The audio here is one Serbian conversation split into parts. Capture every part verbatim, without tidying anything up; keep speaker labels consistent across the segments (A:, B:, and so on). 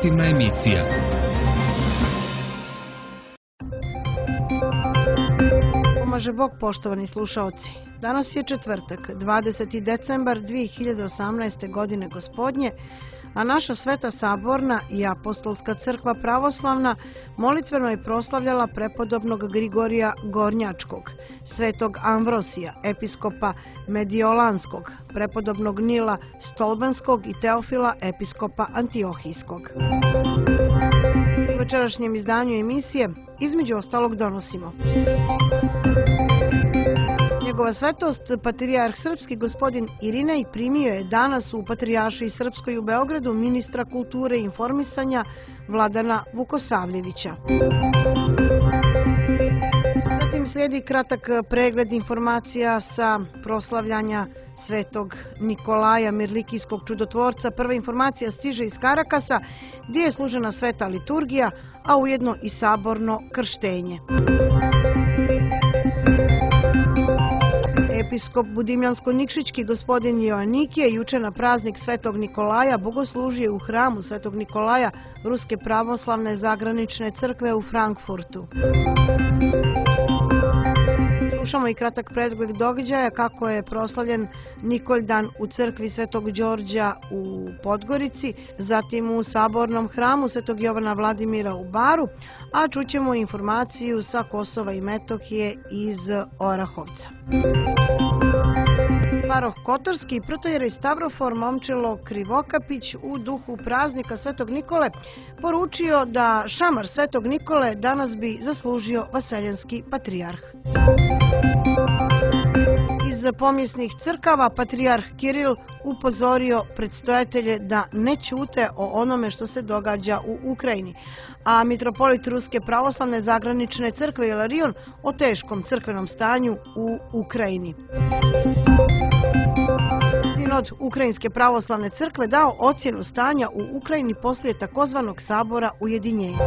A: informativna emisija.
B: Pomaže Bog, poštovani slušaoci. Danas je četvrtak, dvadeseti decembar dve hiljade osamnaeste. godine gospodnje, a naša Sveta Saborna i Apostolska crkva pravoslavna molitveno je proslavljala prepodobnog Grigorija Gornjačkog, svetog Amvrosija, episkopa Mediolanskog, prepodobnog Nila Stolbenskog i Teofila, episkopa Antiohijskog. U večerašnjem izdanju emisije između ostalog donosimo: Njegova svetost, patrijarh srpski gospodin Irinej, primio je danas u Patrijaršiji srpskoj u Beogradu ministra kulture i informisanja Vladana Vukosavljevića. Zatim slijedi kratak pregled informacija sa proslavljanja svetog Nikolaja Mirlikijskog čudotvorca. Prva informacija stiže iz Karakasa, gdje je služena sveta liturgija, a ujedno i saborno krštenje. Episkop Budimljansko-Nikšićki gospodin Joanikije juče na praznik Svetog Nikolaja bogoslužio u hramu Svetog Nikolaja Ruske pravoslavne zagranične crkve u Frankfurtu. Slušamo i kratak pregled događaja kako je proslavljen Nikoljdan u crkvi Svetog Đorđa u Podgorici, zatim u sabornom hramu Svetog Jovana Vladimira u Baru, a čućemo informaciju sa Kosova i Metohije iz Orahovca. Paroh Kotorski, protojerej Stavrofor Momčilo Krivokapić u duhu praznika Svetog Nikole poručio da šamar Svetog Nikole danas bi zaslužio vaseljenski patrijarh. Iz pomjesnih crkava patrijarh Kiril upozorio predstojatelje da ne ćute o onome što se događa u Ukrajini, a mitropolit Ruske pravoslavne zagranične crkve Ilarion o teškom crkvenom stanju u Ukrajini. Sinod Ukrajinske pravoslavne crkve dao ocjenu stanja u Ukrajini poslije takozvanog sabora ujedinjenja.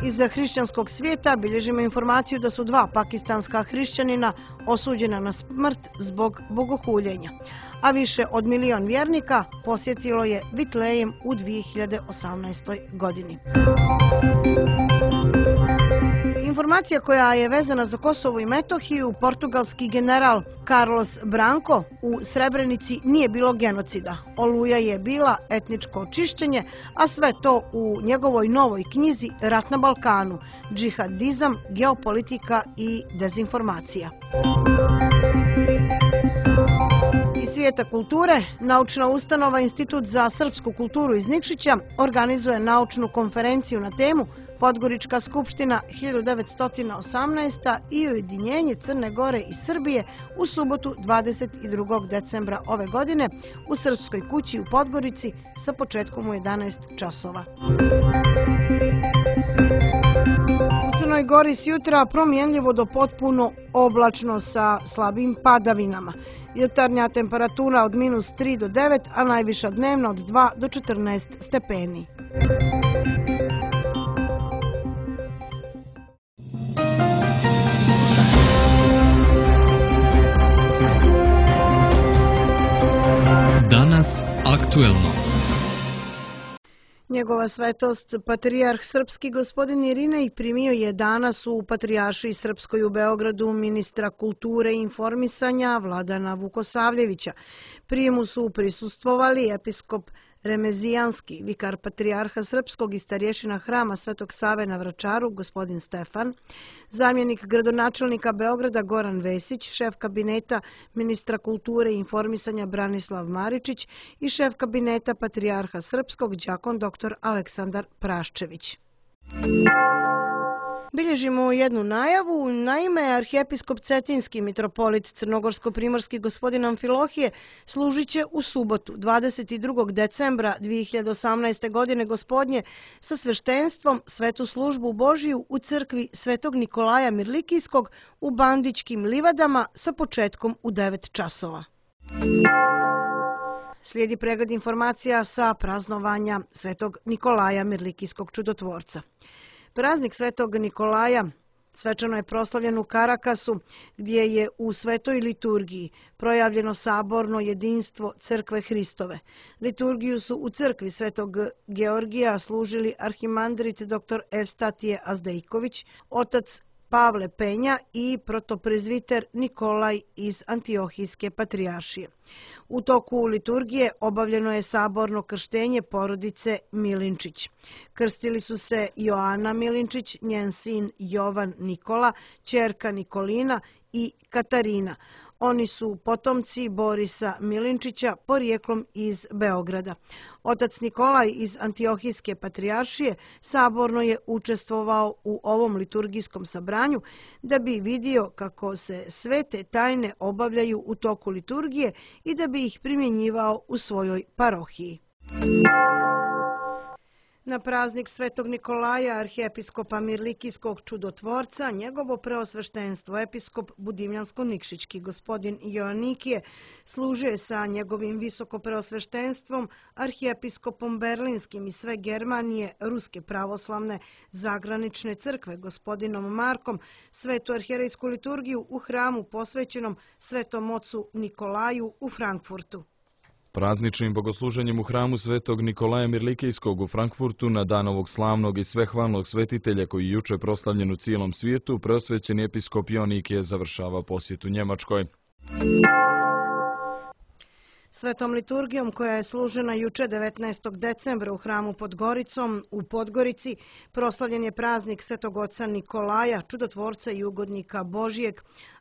B: Iz hrišćanskog svijeta bilježimo informaciju da su dva pakistanska hrišćanina osuđena na smrt zbog bogohuljenja, a više od milion vjernika posjetilo je Vitlejem u dve hiljade osamnaestoj. godini. Informacija koja je vezana za Kosovo i Metohiju: portugalski general Carlos Branco: u Srebrenici nije bilo genocida, Oluja je bila etničko čišćenje, a sve to u njegovoj novoj knjizi Rat na Balkanu, džihadizam, geopolitika i dezinformacija. Iz svijeta kulture, naučna ustanova Institut za srpsku kulturu iz Nikšića organizuje naučnu konferenciju na temu Podgorička skupština hiljadu devetsto osamnaeste. i ujedinjenje Crne Gore i Srbije u subotu dvadeset drugog decembra ove godine u Srpskoj kući u Podgorici sa početkom u jedanaest časova. U Crnoj Gori s jutra promjenljivo do potpuno oblačno sa slabim padavinama. Jutarnja temperatura od minus tri do devet, a najviša dnevna od dva do četrnaest stepeni.
A: Danas aktuelno.
B: Njegova svetost, patrijarh srpski gospodin Irinej, primio je danas u Patrijaršiji srpskoj u Beogradu ministra kulture i informisanja Vladana Vukosavljevića. Prijemu su prisustvovali episkop Remezijanski, vikar patrijarha srpskog i starješina hrama Svetog Save na Vračaru, gospodin Stefan, zamjenik gradonačelnika Beograda Goran Vesić, šef kabineta ministra kulture i informisanja Branislav Maričić i šef kabineta patrijarha srpskog đakon doktor Aleksandar Praščević. Bilježimo jednu najavu. Naime, arhijepiskop Cetinski, mitropolit crnogorsko-primorski gospodin Amfilohije, služit će u subotu dvadeset drugog decembra dve hiljade osamnaeste. godine gospodnje sa sveštenstvom svetu službu Božiju u crkvi Svetog Nikolaja Mirlikijskog u Bandićkim livadama sa početkom u devet časova. Slijedi pregled informacija sa praznovanja Svetog Nikolaja Mirlikijskog čudotvorca. Praznik Svetog Nikolaja Svečano je proslavljen u Karakasu, gdje je u svetoj liturgiji projavljeno saborno jedinstvo Crkve Hristove. Liturgiju su u crkvi Svetog Georgija služili arhimandrit dr Evstatije Azdejković, otac Pavle Penja i protoprezviter Nikolaj iz Antiohijske patrijaršije. U toku liturgije obavljeno je saborno krštenje porodice Milinčić. Krstili su se Joana Milinčić, njen sin Jovan Nikola, ćerka Nikolina i Katarina. Oni su potomci Borisa Milinčića, porijeklom iz Beograda. Otac Nikolaj iz Antiohijske patrijaršije saborno je učestvovao u ovom liturgijskom sabranju da bi vidio kako se svete tajne obavljaju u toku liturgije i da bi ih primjenjivao u svojoj parohiji. Na praznik Svetog Nikolaja, arhijepiskopa Mirlikijskog čudotvorca, njegovo preosveštenstvo, episkop Budimljansko-Nikšićki gospodin Joanikije, služio je sa njegovim visokopreosveštenstvom, arhijepiskopom Berlinskim i sve Germanije, Ruske pravoslavne zagranične crkve, gospodinom Markom, svetu arhijerejsku liturgiju u hramu posvećenom Svetom ocu Nikolaju u Frankfurtu.
C: Prazničnim bogosluženjem u hramu Svetog Nikolaja Mirlikijskog u Frankfurtu na dan ovog slavnog i svehvalnog svetitelja koji je juče proslavljen u cijelom svijetu, preosvećeni episkop Joanikije završava posjetu Njemačkoj.
B: Svetom liturgijom koja je služena juče devetnaestog decembra u hramu pod Goricom u Podgorici proslavljen je praznik Svetog oca Nikolaja, čudotvorca i ugodnika Božijeg,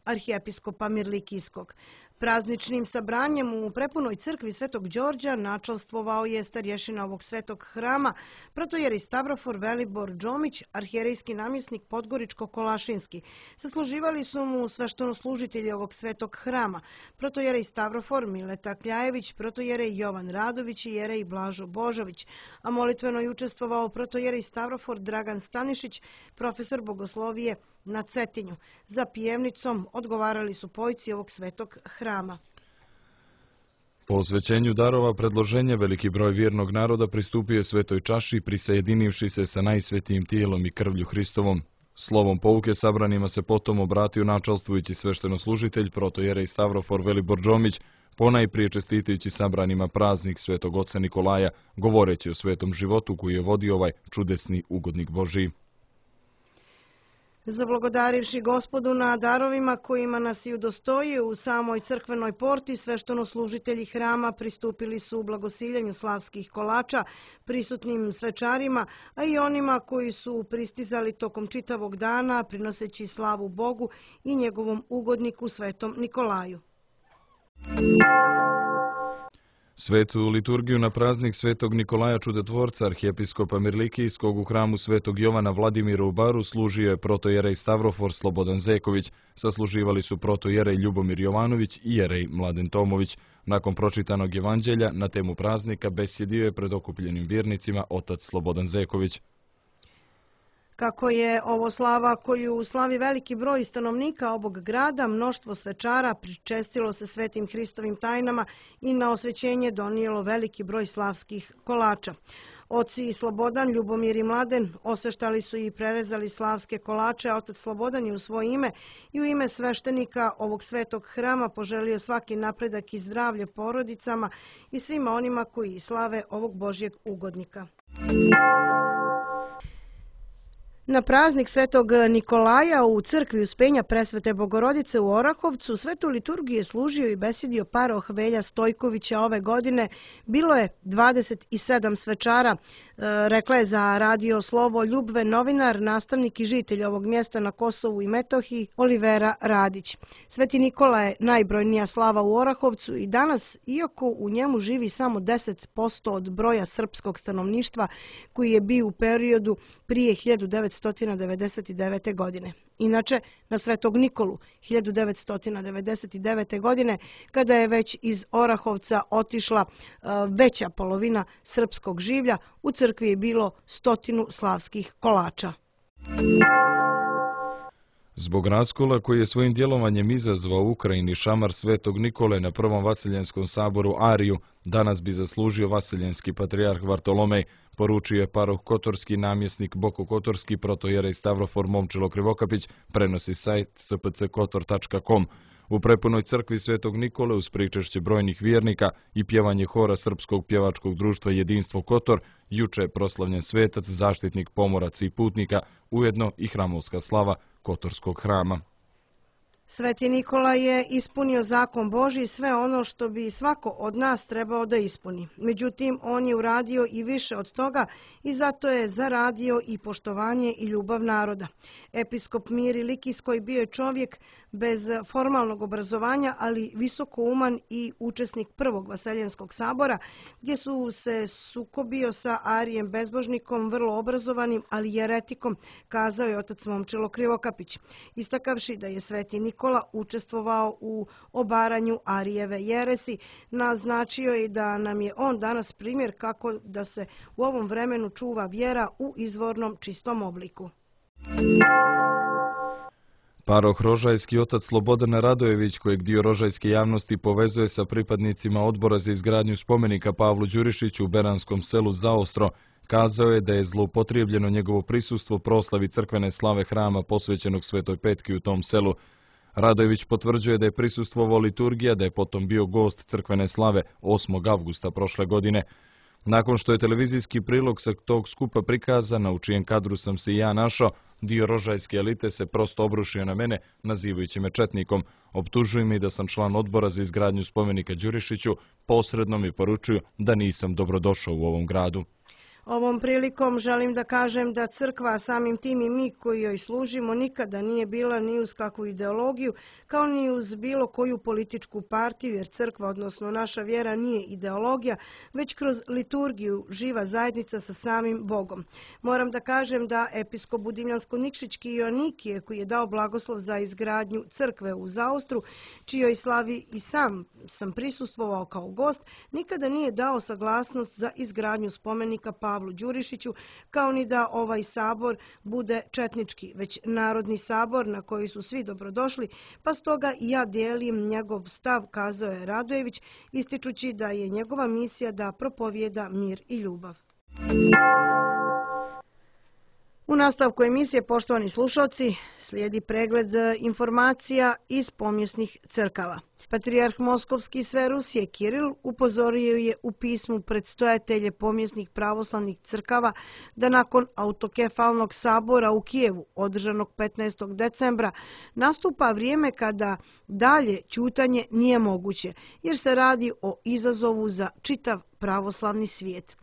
B: arhijepiskopa Mirlikijskog. Prazničnim sabranjem u prepunoj crkvi Svetog Đorđa načalstvovao je starješina ovog svetog hrama, protojerej Stavrofor Velibor Džomić, arhijerejski namjesnik Podgoričko-Kolašinski. Sasluživali su mu sveštenoslužitelji ovog svetog hrama, protojerej Stavrofor Mileta Kljajević, protojerej Jovan Radović i jerej Blažo Božović, a molitveno je učestvovao protojerej Stavrofor Dragan Stanišić, profesor bogoslovije na Cetinju. Za pijevnicom odgovarali su pojci ovog svetog hrama.
C: Po osvećenju darova predloženja veliki broj vjernog naroda pristupio je svetoj čaši, prisajedinivši se sa najsvetijim tijelom i krvlju Hristovom. Slovom pouke sabranima se potom obratio načalstvujući sveštenoslužitelj protojerej Stavrofor Velibor Džomić, ponajprije čestitajući sabranima praznik Svetog oca Nikolaja, govoreći o svetom životu koji je vodio ovaj čudesni ugodnik Božiji.
B: Zablagodarivši Gospodu na darovima kojima nas i udostoji u samoj crkvenoj porti, sveštenoslužitelji hrama pristupili su u blagosiljenju slavskih kolača prisutnim svečarima, a i onima koji su pristizali tokom čitavog dana prinoseći slavu Bogu i njegovom ugodniku Svetom Nikolaju.
C: Svetu liturgiju na praznik Svetog Nikolaja čudotvorca arhijepiskopa Mirlikijskog u hramu Svetog Jovana Vladimira u Baru služio je protojerej Stavrofor Slobodan Zeković, sasluživali su protojerej Ljubomir Jovanović i jerej Mladen Tomović. Nakon pročitanog evanđelja na temu praznika besjedio je pred okupljenim vjernicima otac Slobodan Zeković.
B: Kako je ovo slava koju slavi veliki broj stanovnika ovog grada, mnoštvo svečara pričestilo se svetim Hristovim tajnama i na osvećenje donijelo veliki broj slavskih kolača. Oci Slobodan, Ljubomir i Mladen osveštali su i prerezali slavske kolače, a otac Slobodan je u svoje ime i u ime sveštenika ovog svetog hrama poželio svaki napredak i zdravlje porodicama i svima onima koji slave ovog Božjeg ugodnika. Na praznik Svetog Nikolaja u crkvi Uspenja Presvete Bogorodice u Orahovcu svetu liturgiju je služio i besjedio paroh Velja Stojkovića ove godine. Bilo je dvadeset sedam svečara, rekla je za radio Slovo Ljubve novinar, nastavnik i žitelj ovog mjesta na Kosovu i Metohiji Olivera Radić. Sveti Nikola je najbrojnija slava u Orahovcu i danas, iako u njemu živi samo deset posto od broja srpskog stanovništva koji je bio u periodu prije hiljadu devetsto devedeset devete. godine. Inače, na Svetog Nikolu hiljadu devetsto devedeset devete. godine, kada je već iz Orahovca otišla veća polovina srpskog življa, u crkvi je bilo stotinu slavskih kolača.
C: Zbog raskola koji je svojim djelovanjem izazvao u Ukrajini šamar Svetog Nikole na Prvom Vasiljenskom saboru Ariju, danas bi zaslužio vasiljenski patrijarh Vartolomej, poručio je paroh Kotorski namjesnik Boko Kotorski protojerej Stavrofor Momčilo Krivokapić, prenosi sajt s p c kotor tačka com. U prepunoj crkvi Svetog Nikole uz pričešće brojnih vjernika i pjevanje hora Srpskog pjevačkog društva Jedinstvo Kotor, juče je proslavljen svetac, zaštitnik pomoraca i putnika, ujedno i hramovska slava Kotorskog hrama.
B: Sveti Nikola je ispunio zakon Božji, sve ono što bi svako od nas trebao da ispuni. Međutim, on je uradio i više od toga i zato je zaradio i poštovanje i ljubav naroda. Episkop Miri Likijskoj bio je čovjek bez formalnog obrazovanja, ali visokouman i učesnik Prvog Vaseljenskog sabora, gdje su se sukobio sa Arijem bezbožnikom, vrlo obrazovanim, ali jeretikom, kazao je otac Momčilo Krivokapić, istakavši da je Sveti Nikola učestvovao u obaranju Arijeve jeresi, naznačio je da nam je on danas primjer kako da se u ovom vremenu čuva vjera u izvornom čistom obliku.
C: Paroh Rožajski otac Slobodan Radojević, kojeg dio rožajske javnosti povezuje sa pripadnicima odbora za izgradnju spomenika Pavlu Đurišiću u Beranskom selu Zaostro, kazao je da je zloupotrijebljeno njegovo prisustvo proslavi crkvene slave hrama posvećenog Svetoj Petki u tom selu. Radojević potvrđuje da je prisustvovao liturgija, da je potom bio gost crkvene slave osmog avgusta prošle godine. Nakon što je televizijski prilog sa tog skupa prikazan, u čijem kadru sam se i ja našao, dio rožajske elite se prosto obrušio na mene, nazivajući me četnikom. Optužuju mi da sam član odbora za izgradnju spomenika Đurišiću, posredno mi poručuju da nisam dobrodošao u ovom gradu.
B: Ovom prilikom želim da kažem da crkva, samim tim i mi koji joj služimo, nikada nije bila ni uz kakvu ideologiju, kao ni uz bilo koju političku partiju, jer crkva, odnosno naša vjera, nije ideologija, već kroz liturgiju živa zajednica sa samim Bogom. Moram da kažem da episkop Budimljansko-Nikšićki Ionikije, koji je dao blagoslov za izgradnju crkve u Zaostru, čijoj slavi i sam sam prisustvovao kao gost, nikada nije dao saglasnost za izgradnju spomenika Pavlu Đurišiću, kao ni da ovaj sabor bude četnički, već narodni sabor na koji su svi dobrodošli, pa stoga i ja dijelim njegov stav, kazao je Radojević, ističući da je njegova misija da propovijeda mir i ljubav. U nastavku emisije, poštovani slušalci, slijedi pregled informacija iz pomjesnih crkava. Patrijarh Moskovski sve Rusije Kiril upozorio je u pismu predstojatelje pomjesnih pravoslavnih crkava da nakon autokefalnog sabora u Kijevu, održanog petnaestog decembra, nastupa vrijeme kada dalje ćutanje nije moguće, jer se radi o izazovu za čitav pravoslavni svijet.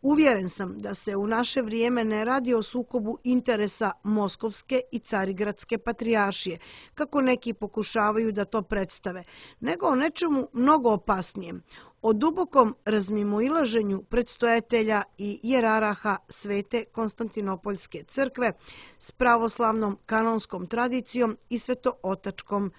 B: Uvjeren sam da se u naše vrijeme ne radi o sukobu interesa Moskovske i Carigradske patrijaršije, kako neki pokušavaju da to predstave, nego o nečemu mnogo opasnijem, o dubokom razmimoilaženju predstojatelja i jeraraha Svete Konstantinopoljske crkve s pravoslavnom kanonskom tradicijom i svetootačkom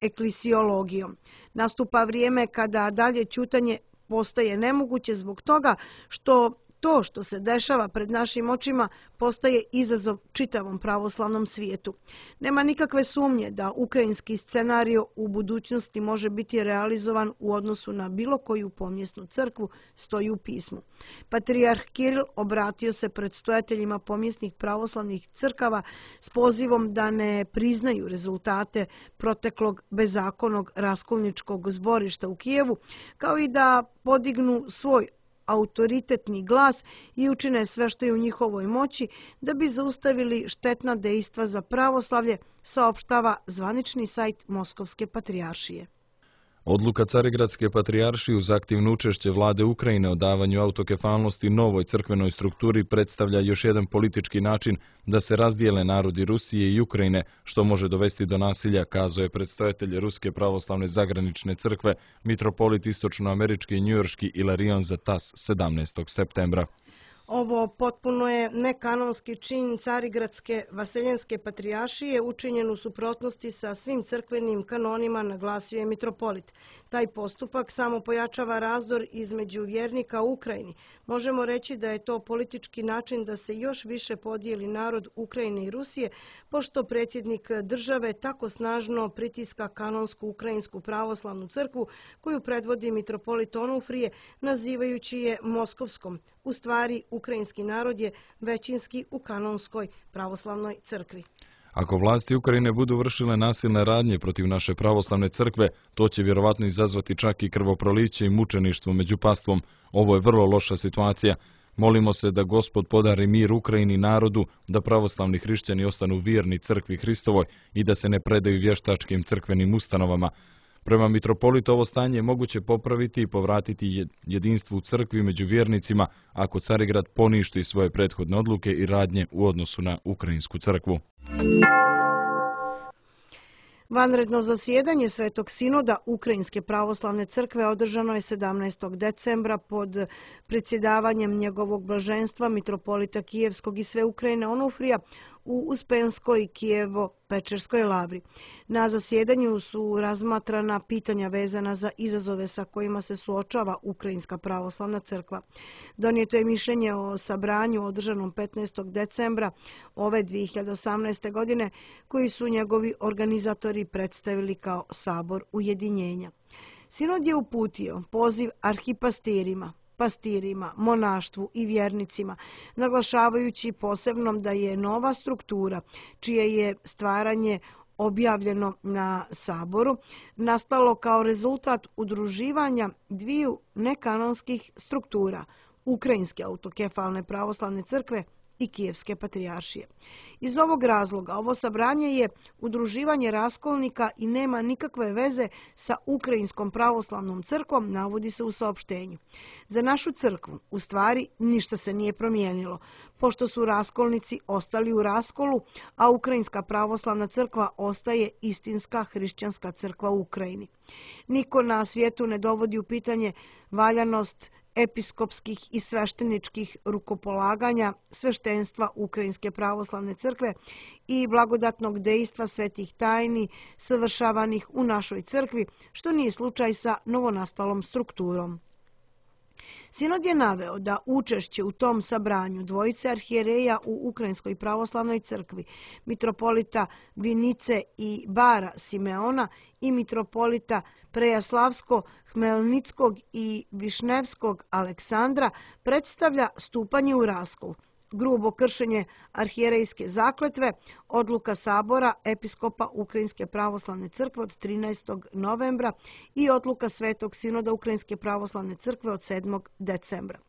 B: eklisiologijom. Nastupa vrijeme kada dalje ćutanje postaje nemoguće zbog toga što to što se dešava pred našim očima postaje izazov čitavom pravoslavnom svijetu. Nema nikakve sumnje da ukrajinski scenario u budućnosti može biti realizovan u odnosu na bilo koju pomjesnu crkvu, stoji u pismu. Patrijarh Kiril obratio se predstojateljima pomjesnih pravoslavnih crkava s pozivom da ne priznaju rezultate proteklog bezakonnog raskolničkog zborišta u Kijevu, kao i da podignu svoj autoritetni glas i učine sve što je u njihovoj moći da bi zaustavili štetna dejstva za pravoslavlje, saopštava zvanični sajt Moskovske patrijaršije.
C: Odluka Carigradske patrijaršije uz aktivno učešće vlade Ukrajine o davanju autokefalnosti novoj crkvenoj strukturi predstavlja još jedan politički način da se razdijele narodi Rusije i Ukrajine, što može dovesti do nasilja, kazao je predstojatelj Ruske pravoslavne zagranične crkve, mitropolit istočnoamerički i njujorški Ilarion za tas sedamnaestog septembra.
B: Ovo potpuno je nekanonski čin Carigradske vaseljenske patrijaršije učinjen u suprotnosti sa svim crkvenim kanonima, naglasio je mitropolit. Taj postupak samo pojačava razdor između vjernika u Ukrajini. Možemo reći da je to politički način da se još više podijeli narod Ukrajine i Rusije, pošto predsjednik države tako snažno pritiska kanonsku ukrajinsku pravoslavnu crkvu, koju predvodi mitropolit Onufrije, nazivajući je Moskovskom. U stvari, ukrajinski narod je većinski u kanonskoj pravoslavnoj crkvi.
C: Ako vlasti Ukrajine budu vršile nasilne radnje protiv naše pravoslavne crkve, to će vjerovatno izazvati čak i krvoproliće i mučeništvo među pastvom. Ovo je vrlo loša situacija. Molimo se da Gospod podari mir Ukrajini i narodu, da pravoslavni hrišćani ostanu vjerni crkvi Hristovoj i da se ne predaju vještačkim crkvenim ustanovama. Prema mitropolitu ovo stanje je moguće popraviti i povratiti jedinstvo u crkvi među vjernicima ako Carigrad poništi svoje prethodne odluke i radnje u odnosu na ukrajinsku crkvu.
B: Vanredno zasjedanje Svetog sinoda Ukrajinske pravoslavne crkve održano je sedamnaestog decembra pod predsjedavanjem njegovog blaženstva mitropolita Kijevskog i sve Ukrajine Onufrija u Uspenskoj Kijevo-Pečerskoj lavri. Na zasjedanju su razmatrana pitanja vezana za izazove sa kojima se suočava Ukrajinska pravoslavna crkva. Donijeto je mišljenje o sabranju održanom petnaestog decembra ove dvije hiljade osamnaeste. godine, koji su njegovi organizatori predstavili kao Sabor ujedinjenja. Sinod je uputio poziv arhipastirima, pastirima, monaštvu i vjernicima, naglašavajući posebno da je nova struktura, čije je stvaranje objavljeno na Saboru, nastalo kao rezultat udruživanja dviju nekanonskih struktura, Ukrajinske autokefalne pravoslavne crkve i Kijevske patrijaršije. Iz ovog razloga ovo sabranje je udruživanje raskolnika i nema nikakve veze sa Ukrajinskom pravoslavnom crkvom, navodi se u saopštenju. Za našu crkvu, u stvari, ništa se nije promijenilo, pošto su raskolnici ostali u raskolu, a Ukrajinska pravoslavna crkva ostaje istinska hrišćanska crkva u Ukrajini. Niko na svijetu ne dovodi u pitanje valjanost episkopskih i svešteničkih rukopolaganja sveštenstva Ukrajinske pravoslavne crkve i blagodatnog dejstva svetih tajni savršavanih u našoj crkvi, što nije slučaj sa novonastalom strukturom. Sinod je naveo da učešće u tom sabranju dvojice arhijereja u Ukrajinskoj pravoslavnoj crkvi, mitropolita Vinice i Bara Simeona i mitropolita Prejaslavsko-Hmelnickog i Višnevskog Aleksandra, predstavlja stupanje u raskol, grubo kršenje arhijerejske zakletve, odluka Sabora episkopa Ukrajinske pravoslavne crkve od trinaestog novembra i odluka Svetog sinoda Ukrajinske pravoslavne crkve od sedmog decembra.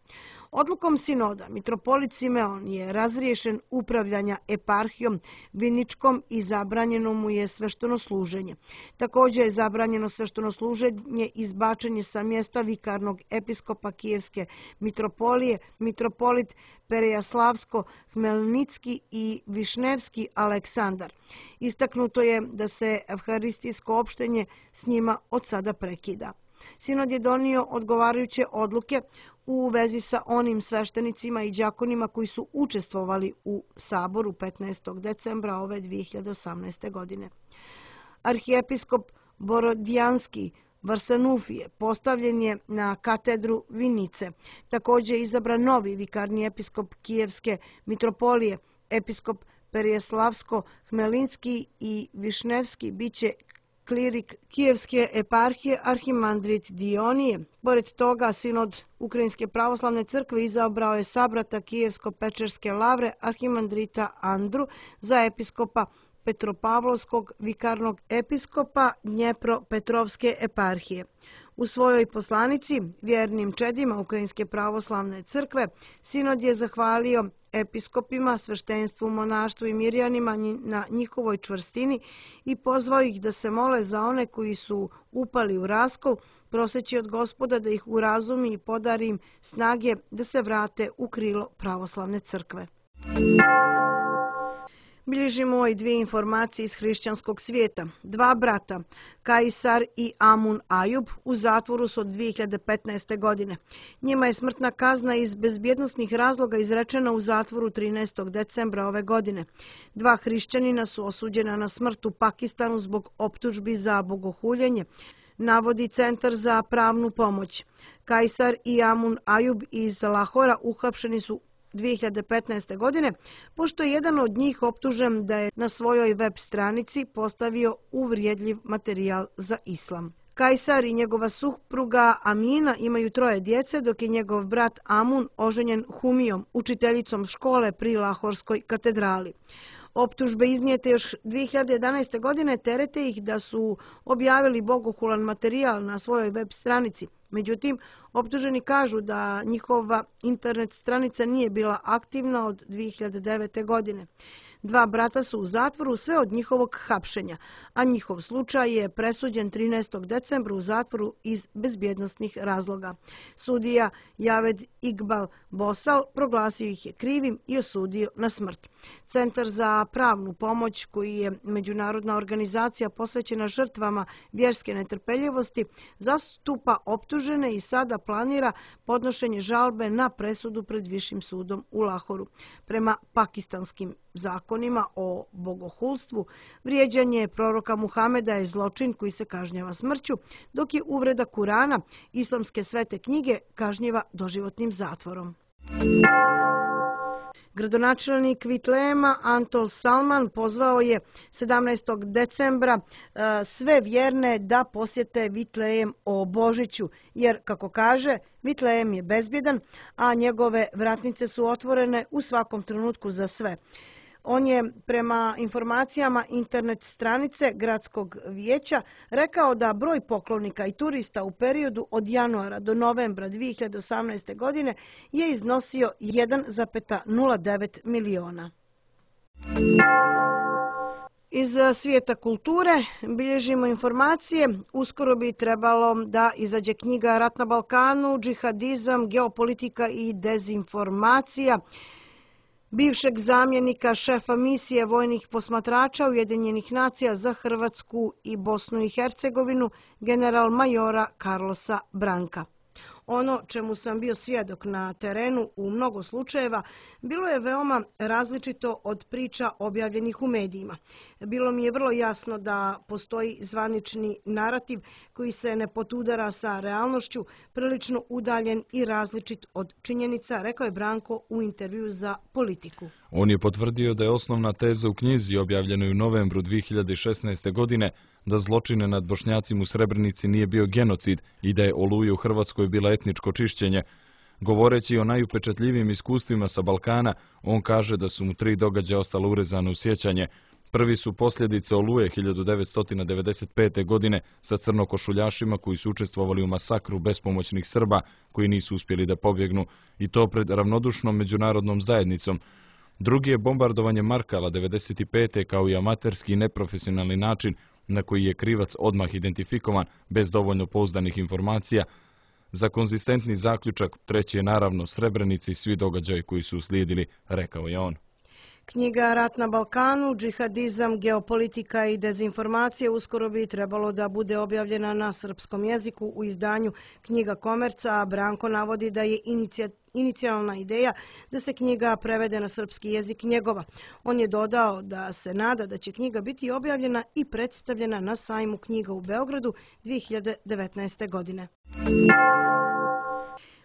B: Odlukom sinoda mitropolit Simeon je razriješen upravljanja eparhijom Viničkom i zabranjeno mu je sveštenosluženje. Također je zabranjeno sveštenosluženje izbačenje sa mjesta vikarnog episkopa Kijevske mitropolije, mitropolit Perejaslavsko-Hmelnicki i Višnevski Aleksandar. Istaknuto je da se evharistijsko opštenje s njima od sada prekida. Sinod je donio odgovarajuće odluke u vezi sa onim sveštenicima i đakonima koji su učestvovali u Saboru petnaestog decembra ove dvije hiljade osamnaeste. godine. Arhijepiskop Borodjanski Varsanufije postavljen je na katedru Vinice. Također je izabran novi vikarni episkop Kijevske mitropolije, episkop Perejaslavsko-Hmelinski i Višnevski biće klirik Kijevske eparhije arhimandrit Dionije. Pored toga, sinod Ukrajinske pravoslavne crkve izabrao je sabrata Kijevsko-Pečerske lavre arhimandrita Andru za episkopa Petropavlovskog vikarnog episkopa Dnjepro-Petrovske eparhije. U svojoj poslanici vjernim čedima Ukrajinske pravoslavne crkve sinod je zahvalio episkopima, sveštenstvu, monaštvu i mirjanima na njihovoj čvrstini i pozvao ih da se mole za one koji su upali u raskol, proseći od Gospoda da ih urazumi i podari im snage da se vrate u krilo pravoslavne crkve. Bilježimo i dvije informacije iz hrišćanskog svijeta. Dva brata, Kajsar i Amun Ajub, u zatvoru su od dvije hiljade petnaeste. godine. Njima je smrtna kazna iz bezbjednosnih razloga izrečena u zatvoru trinaestog decembra ove godine. Dva hrišćanina su osuđena na smrt u Pakistanu zbog optužbi za bogohuljenje, navodi Centar za pravnu pomoć. Kajsar i Amun Ajub iz Lahora uhapšeni su dvije hiljade petnaeste. godine, pošto je jedan od njih optužen da je na svojoj web stranici postavio uvrijedljiv materijal za islam. Kajsar i njegova supruga Amina imaju troje djece, dok je njegov brat Amun oženjen Humijom, učiteljicom škole pri Lahorskoj katedrali. Optužbe iznijete još dvije hiljade jedanaeste. godine terete ih da su objavili bogohulan materijal na svojoj web stranici. Međutim, optuženi kažu da njihova internet stranica nije bila aktivna od dvije hiljade devete. godine. Dva brata su u zatvoru sve od njihovog hapšenja, a njihov slučaj je presuđen trinaestog decembra u zatvoru iz bezbjednosnih razloga. Sudija Javed Iqbal Bosal proglasio ih je krivim i osudio na smrt. Centar za pravnu pomoć, koji je međunarodna organizacija posvećena žrtvama vjerske netrpeljivosti, zastupa optužene i sada planira podnošenje žalbe na presudu pred Višim sudom u Lahoru. Prema pakistanskim zakonima o bogohulstvu, vrijeđanje proroka Muhameda je zločin koji se kažnjava smrću, dok je uvreda Kurana, islamske svete knjige, kažnjiva doživotnim zatvorom. Gradonačelnik Vitlejema Antol Salman pozvao je sedamnaestog decembra sve vjerne da posjete Vitlejem o Božiću, jer, kako kaže, Vitlejem je bezbjedan, a njegove vratnice su otvorene u svakom trenutku za sve. On je, prema informacijama internet stranice Gradskog vijeća, rekao da broj poklonika i turista u periodu od januara do novembra dvije hiljade osamnaeste. godine je iznosio jedan zarez nula devet miliona. Iz svijeta kulture bilježimo informacije. Uskoro bi trebalo da izađe knjiga Rat na Balkanu, džihadizam, geopolitika i dezinformacija bivšeg zamjenika šefa misije vojnih posmatrača Ujedinjenih nacija za Hrvatsku i Bosnu i Hercegovinu, general majora Carlosa Branka. Ono čemu sam bio svjedok na terenu u mnogo slučajeva bilo je veoma različito od priča objavljenih u medijima. Bilo mi je vrlo jasno da postoji zvanični narativ koji se ne potudara sa realnošću, prilično udaljen i različit od činjenica, rekao je Branko u intervju za Politiku.
C: On je potvrdio da je osnovna teza u knjizi objavljenoj u novembru dvije hiljade šesnaeste. godine da zločine nad Bošnjacima u Srebrenici nije bio genocid i da je Oluja u Hrvatskoj bila etničko čišćenje. Govoreći o najupečatljivijim iskustvima sa Balkana, on kaže da su mu tri događaja ostala urezana u sjećanje. Prvi su posljedice Oluje hiljadu devetsto devedeset pete. godine sa crnokošuljašima koji su učestvovali u masakru bespomoćnih Srba koji nisu uspjeli da pobjegnu, i to pred ravnodušnom međunarodnom zajednicom. Drugi je bombardovanje Markala devedeset pete. kao i amaterski i neprofesionalni način na koji je krivac odmah identifikovan bez dovoljno pouzdanih informacija. Za konzistentni zaključak treći je naravno Srebrenici i svi događaji koji su uslijedili, rekao je on.
B: Knjiga Rat na Balkanu, džihadizam, geopolitika i dezinformacije uskoro bi trebalo da bude objavljena na srpskom jeziku u izdanju Knjiga Komerca, a Branko navodi da je inicijalna ideja da se knjiga prevede na srpski jezik njegova. On je dodao da se nada da će knjiga biti objavljena i predstavljena na sajmu knjiga u Beogradu dvije hiljade devetnaeste. godine.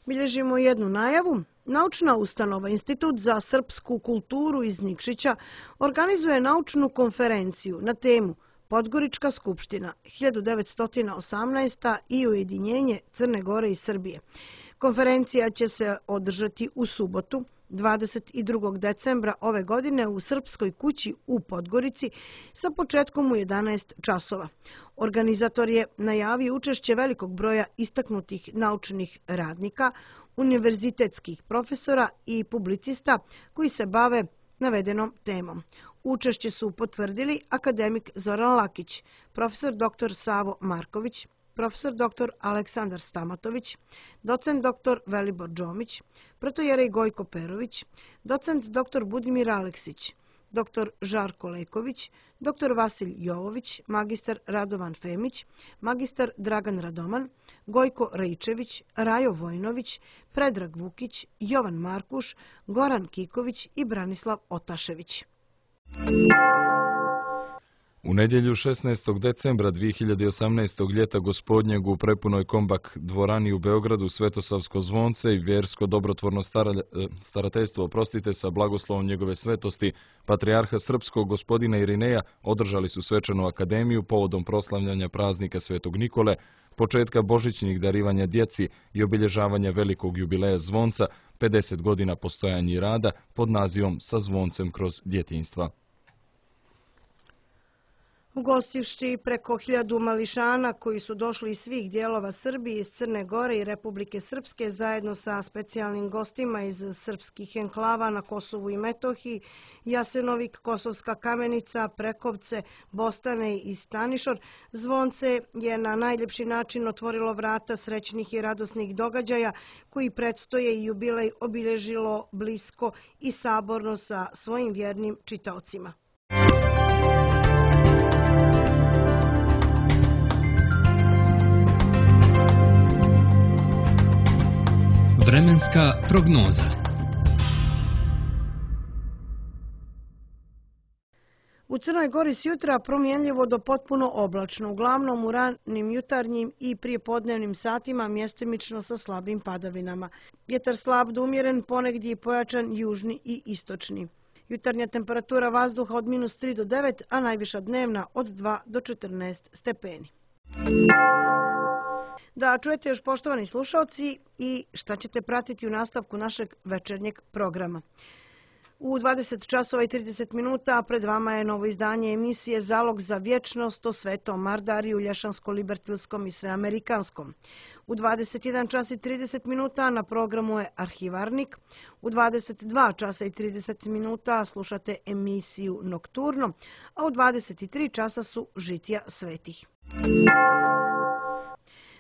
B: Bilježimo jednu najavu. Naučna ustanova Institut za srpsku kulturu iz Nikšića organizuje naučnu konferenciju na temu Podgorička skupština hiljadu devetsto osamnaesta. i ujedinjenje Crne Gore i Srbije. Konferencija će se održati u subotu, dvadeset drugog decembra ove godine u Srpskoj kući u Podgorici sa početkom u jedanaest časova. Organizator je najavio učešće velikog broja istaknutih naučnih radnika, univerzitetskih profesora i publicista koji se bave navedenom temom. Učešće su potvrdili akademik Zoran Lakić, profesor doktor Savo Marković, profesor doktor Aleksandar Stamatović, docent doktor Velibor Džomić, protojerej Gojko Perović, docent doktor Budimir Aleksić, doktor Žarko Leković, doktor Vasilj Jovović, magistar Radovan Femić, magistar Dragan Radoman, Gojko Raičević, Rajo Vojnović, Predrag Vukić, Jovan Markuš, Goran Kiković i Branislav Otašević.
C: U nedjelju šesnaestog decembra dvije hiljade osamnaestog ljeta gospodnjeg u prepunoj Kombak dvorani u Beogradu Svetosavsko zvonce i vjersko dobrotvorno starateljstvo, oprostite, sa blagoslovom njegove svetosti, patrijarha srpskog gospodina Irineja, održali su svečanu akademiju povodom proslavljanja praznika Svetog Nikole, početka božićnih darivanja djeci i obilježavanja velikog jubileja zvonca, pedeset godina postojanja i rada pod nazivom Sa zvoncem kroz djetinjstva.
B: Ugostivši preko hiljadu mališana koji su došli iz svih dijelova Srbije, iz Crne Gore i Republike Srpske, zajedno sa specijalnim gostima iz srpskih enklava na Kosovu i Metohiji, Jasenovik, Kosovska Kamenica, Prekovce, Bostane i Stanišor, zvonce je na najljepši način otvorilo vrata srećnih i radosnih događaja koji predstoje i jubilej obilježilo blisko i saborno sa svojim vjernim čitaocima.
A: Vremenska prognoza.
B: U Crnoj Gori s jutra promjenljivo do potpuno oblačno, uglavnom u ranim jutarnjim i prijepodnevnim satima mjestimično sa slabim padavinama. Vjetar slab do umjeren, ponegdje i pojačan južni i istočni. Jutarnja temperatura vazduha od minus tri do devet, a najviša dnevna od dva do četrnaest stepeni. Da čujete još, poštovani slušalci, i šta ćete pratiti u nastavku našeg večernjeg programa. U dvadeset časova i trideset minuta pred vama je novo izdanje emisije Zalog za vječnost o Svetom Mardariju, Lješansko-Libertilskom i Sveamerikanskom. U dvadeset jedan čas i trideset minuta na programu je Arhivarnik. U dvadeset dva časa i trideset minuta slušate emisiju Nokturno, a u dvadeset tri časa su Žitija svetih.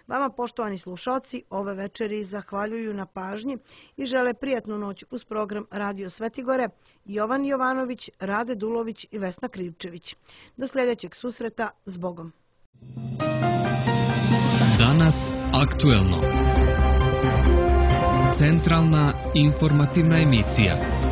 B: Vama, poštovani slušalci, ove večeri zahvaljuju na pažnji i žele prijatnu noć uz program Radio Svetigore Jovan Jovanović, Rade Dulović i Vesna Krivčević. Do sljedećeg susreta, s Bogom.
A: Danas aktuelno. Centralna informativna emisija.